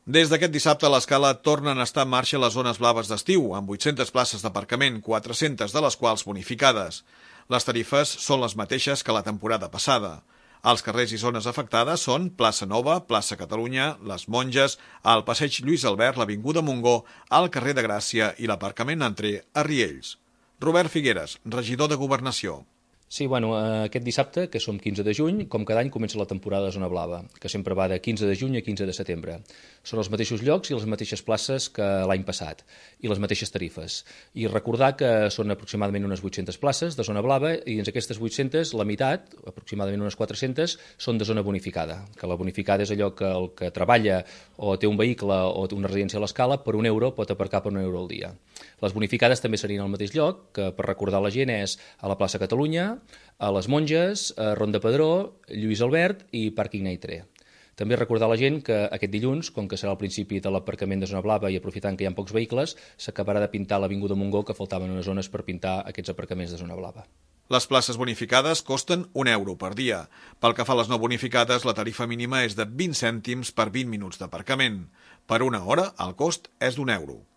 Des d'aquest dissabte a l'Escala tornen a estar en marxa les zones blaves d'estiu, amb 800 places d'aparcament, 400 de les quals bonificades. Les tarifes són les mateixes que la temporada passada. Els carrers i zones afectades són Plaça Nova, Plaça Catalunya, Les Monges, el Passeig Lluís Albert, l'Avinguda Montgó, el carrer de Gràcia i l'aparcament Entrer a Riells. Robert Figueres, regidor de Governació. Sí, aquest dissabte, que som 15 de juny, com cada any comença la temporada de Zona Blava, que sempre va de 15 de juny a 15 de setembre. Són els mateixos llocs i les mateixes places que l'any passat, i les mateixes tarifes. I recordar que són aproximadament unes 800 places de Zona Blava, i dins aquestes 800, la meitat, aproximadament unes 400, són de zona bonificada, que la bonificada és allò que el que treballa o té un vehicle o té una residència a l'Escala, per €1 pot aparcar per €1 al dia. Les bonificades també serien al mateix lloc, que per recordar la gent és a la plaça Catalunya, a Les Monges, a Ronda Pedró, Lluís Albert i Pàrquing Neitre. També recordar a la gent que aquest dilluns, com que serà el principi de l'aparcament de Zona Blava i aprofitant que hi ha pocs vehicles, s'acabarà de pintar l'Avinguda Montgó, que faltaven unes zones per pintar aquests aparcaments de Zona Blava. Les places bonificades costen €1 per dia. Pel que fa a les no bonificades, la tarifa mínima és de 20 cèntims per 20 minuts d'aparcament. Per una hora, el cost és d'€1.